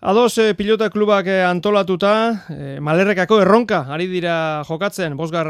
Ados pilota klubak antolatuta, Malerrekako erronka ari dira jokatzen, 5.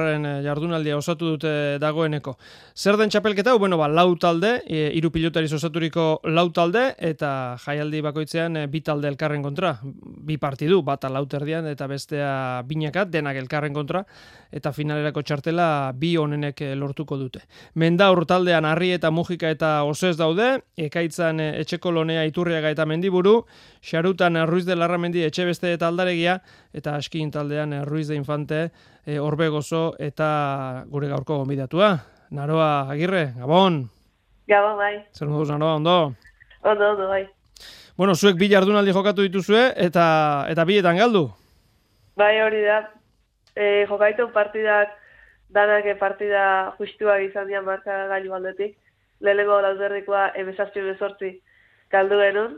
jardunaldia osatu dute dagoeneko. Zer den txapelketa? Bueno, lau talde, 3 pilotariz osaturiko lau talde, eta jaialdi bakoitzean 2 talde elkarren kontra. 2 partidu, bata lauterdian eta bestea binakat, denak elkarren kontra, eta finalerako txartela 2 onenek lortuko dute. Mendaur taldean Arri eta Mujika eta Osez daude, Ekaitzan Etxeko Lonea, Iturriaga eta Mendiburu, Xarutan Ruiz de Larramendi, Etxebeste eta Aldaregia, eta Askin taldean Ruiz de Infante, Orbegozo eta gure gaurko gonbidatua. Naroa Agirre, Gabon! Gabon, bai. Zer moduz, Naroa, ondo? Ondo, bai. Bueno, zuek 2 jardunaldi jokatu dituzue, eta 2etan galdu? Bai, hori da. Jokaitu partidak, danak partida justuak izan dian marka gailu aldetik. Lehenengo lauzerdikoa 17-18 galdu genuen.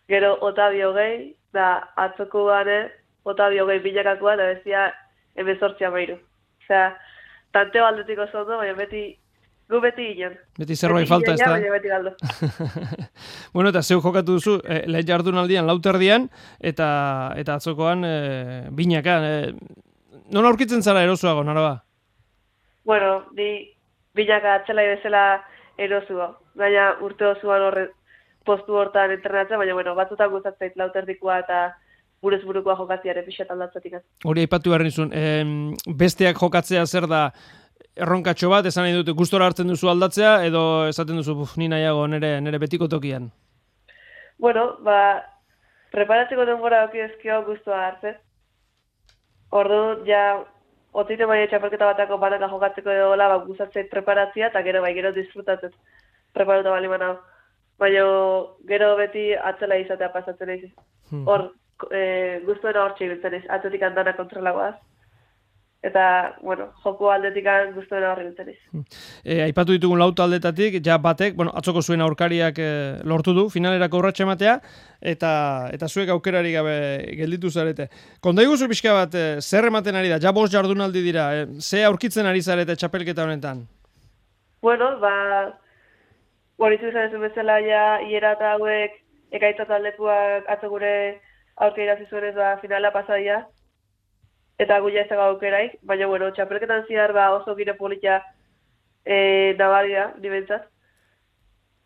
Gero Otavio gehi, da atzoko gane, Otavio gehi binakakoa, da bezia 18-13. Osea, tanteo aldetik oso ondo, baina gu beti ginen. Beti zerbait falta, ez da? Baina beti galdu. Bueno, eta zeu jokatu duzu, lehen jardunaldian lauterdian, eta atzokoan binaka. Non aurkitzen zara erosuago, Naroa? Bueno, ni binaka atzelai bezala erosua. Baina urte osoan postu hortan entrenatzen, baina batzutan gustatzait lauterdikoa eta buruz burukoa jokatziaren pixat aldatzatik. Hori aipatu behar nizun, besteak jokatzea zer da erronkatxo bat, esan nahi dute gustora hartzen duzu aldatzea, edo esaten duzu, ni nahiago nere betiko tokian? Bueno, preparatzeko denbora doki ezkio gustua hartzen. Ordu, ja, otzite maia txapelketa batako banaka jokatzeko edo gustatzeit preparatzea, eta gero disfrutatzen preparuta bali manau. Baina gero beti atzela izatea pasatzen eiz. Hor, guztuena hor txibiltzen eiz, atletik andana kontrolagoaz. Eta, joko aldetik guztuena hor ibiltzen eiz. Aipatu ditugun lau taldetatik, ja batek, atzoko zuen aurkariak lortu du, finalerako urratxe ematea, eta zuek aukerari gabe gelditu zarete. Kondaiguzu pixka bat, zer ematen ari da, ja 5 jardunaldi dira, ze aurkitzen ari zarete txapelketa honetan? Bueno, Horizu izan ezun bezala hiera eta hauek Ekaitza taldekuak atzo gure aurke irazi zuenez finala pasadia. Eta guia ez dago aukeraik, baina txapelketan zihar oso gire polita nabaria, nibentzat.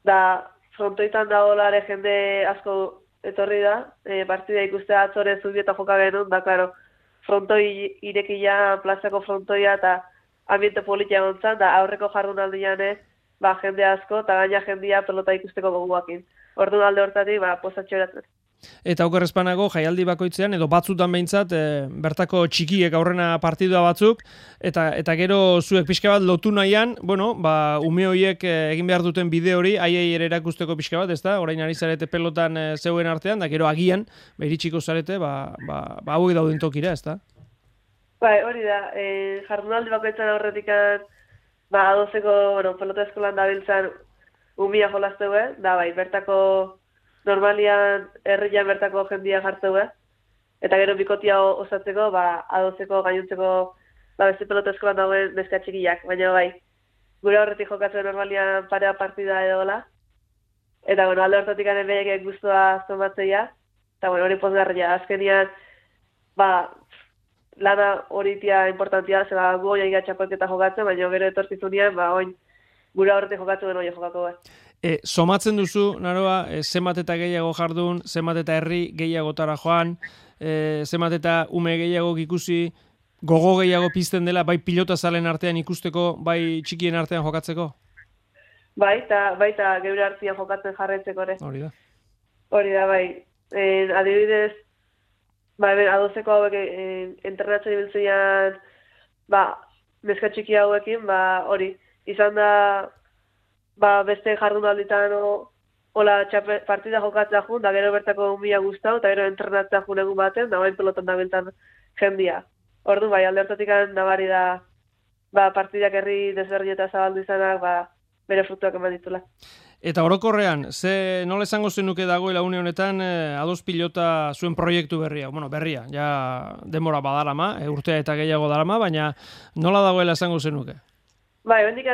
Da, frontoitan dagoelare jende asko etorri da, partida ikustea atzore zubieta joka genuen, da, klaro, frontoi irekia, plazako frontoia eta ambiente polita egontzan, da aurreko jardunaldian jende asko, eta gaina jendia pelota ikusteko goguakin. Orduan alde hortatik, posatxo eratzen. Eta okerrezpanago, jaialdi bakoitzean, edo batzutan behintzat, bertako txikiek aurrena partidua batzuk, eta gero zuek pixka bat lotu nahian, ume horiek egin behar duten bide hori, aiei ere erakusteko pixka bat, ez da? Orain ari zarete pelotan zeuen artean, da gero agian, iritsiko zarete, hauek dauden tokira, ez da? Bai, hori da, jardunaldi bakoitzan aurretikan, adozeko, pelota eskolan dabiltzan umia jolazteue, da bertako normalian herrian bertako jendia jartzeue, eta gero bikotia osatzeko, adozeko, gainuntzeko, beste pelota eskolan dauen neska txikiak, baina gure horretik jokatzen normalian parea partida edola, eta alde hortatik anebeiek guztua zomatzeia, eta hori pozgarria, azkenian, lana horitia importantia, zela gu oia inga txapelketa jokatzen, baina gero etorkizunean, oin gure horretik jokatzen den oia jokako. Somatzen duzu, Naroa, zenbat eta gehiago jardun, zenbat eta herri gehiagotara joan, zenbat eta ume gehiago ikusi, gogo gehiago pizten dela, bai pilota zalen artean ikusteko, bai txikien artean jokatzeko? Baita geure artean jokatzen jarraitzeko ere. Hori da. Hori da, adibidez, adozeko hauek entrenatzen ibiltzean, neska txiki hauekin, hori, izan da, beste jardunalditan hola partida jokatzea jun, da gero bertako umia guztau, eta gero entrenatzea jun egun baten, da pelotan da biltan jendia. Ordu, alde hortatik nabari da, partidak herri desberdin eta zabaldu izanak, bere frutuak eman ditula. Eta orokorrean, nola esango zenuke dagoela une honetan ados pilota zuen proiektu berria? Berria, ja denbora badarama, urtea eta gehiago darama, baina nola dagoela esango zenuke? Hondik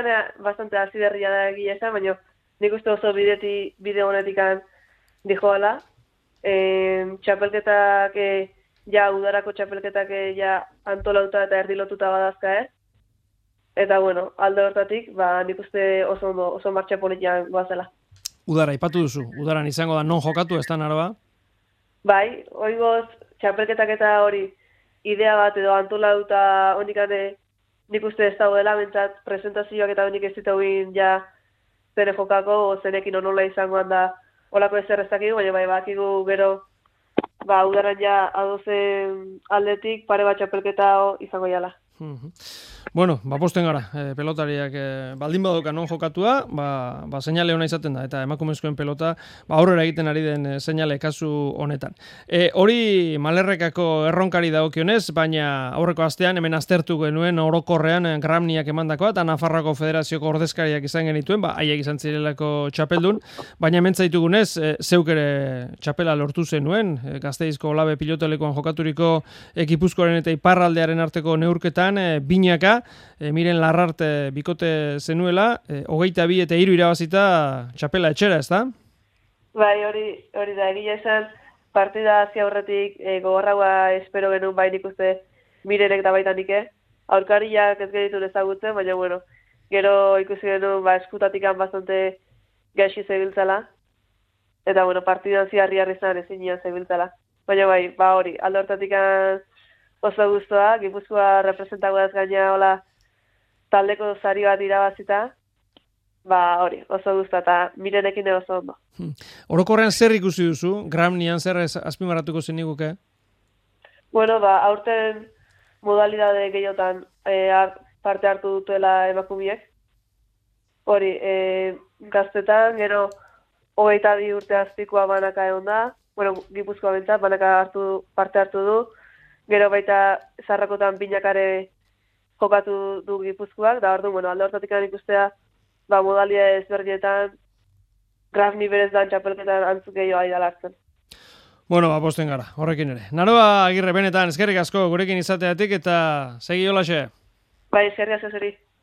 bastante hasi berria da egia esan, baina nik uste oso bide honetik dijoala, txapelketak, ja udarako txapelketak ja antolauta eta erdilotuta badazka, Eta, bueno, alde hortatik, nik uste oso ondo, oso martxa politian goazela. Udara, ipatu duzu. Udaran izango da non jokatu, ez da Naroa? Bai, oingoz, txapelketak eta hori idea bat edo antolauta honikane nik uste ez daudela, bentsat presentazioak eta honik ez dituguin ja zene jokako, zenekin onola izangoan da olako ezer ez dakigu, baina bakigu gero udaran ja adozen aldetik pare bat txapelketa izango jala. Bueno, posten gara, pelotariak baldin badoka non jokatua, seinale ona izaten da, eta emakumezkoen pelota aurrera egiten ari den seinale kasu honetan. Hori Malerrekako erronkari dagokionez, baina aurreko astean hemen aztertu genuen orokorrean Gramniak emandakoa, eta Nafarroako Federazioko ordezkariak izan genituen, haiek izan zirelako txapeldun, baina hemen zaitugunez, zeuk ere txapela lortu zenuen, Gasteizko Olabe pilotelekoan jokaturiko Gipuzkoaren eta Iparraldearen arteko neurketan, binaka, Miren Larrarte bikote zenuela, 22 eta 3 irabazita txapela etxera, ez da? Bai, hori da, egia esan partida hazi aurretik gogorraua espero genuen nik uste Mirenek da baita nike. Aurkariak ez genitu ezagutzen, baina bueno, gero ikusi genuen eskutatikan bastante gaixi zebiltzala. Eta bueno, partida hazi harri zan ezin nian zebiltzala. Baina hori, alde hortatik oso guztua, Gipuzkoa representagoaz gaina hola taldeko sari bat irabazita, hori, oso guztua, eta Mirenekin oso ondo. Orokorrean zer ikusi duzu? Gramnian zer azpimarratuko zeniguke? Bueno, aurten modalidade gehiotan parte hartu dutuela emakumiek. Hori, gaztetan, gero 22 urte azpikoa banaka egon da, bueno, Gipuzkoa bentsat, banaka parte hartu du, gero baita zarrakotan binakare jokatu du Gipuzkoak, da ordu, alde hortatik ikustea, modalidade ezberdinetan, Gramni berez dan txapelketan antzuk gehiago aidala hartzen. Bueno, posten gara, horrekin ere. Naroa Agirre, benetan, eskerrik asko gurekin izateatik eta segi holaxe. Bai, eskerrik asko zeri.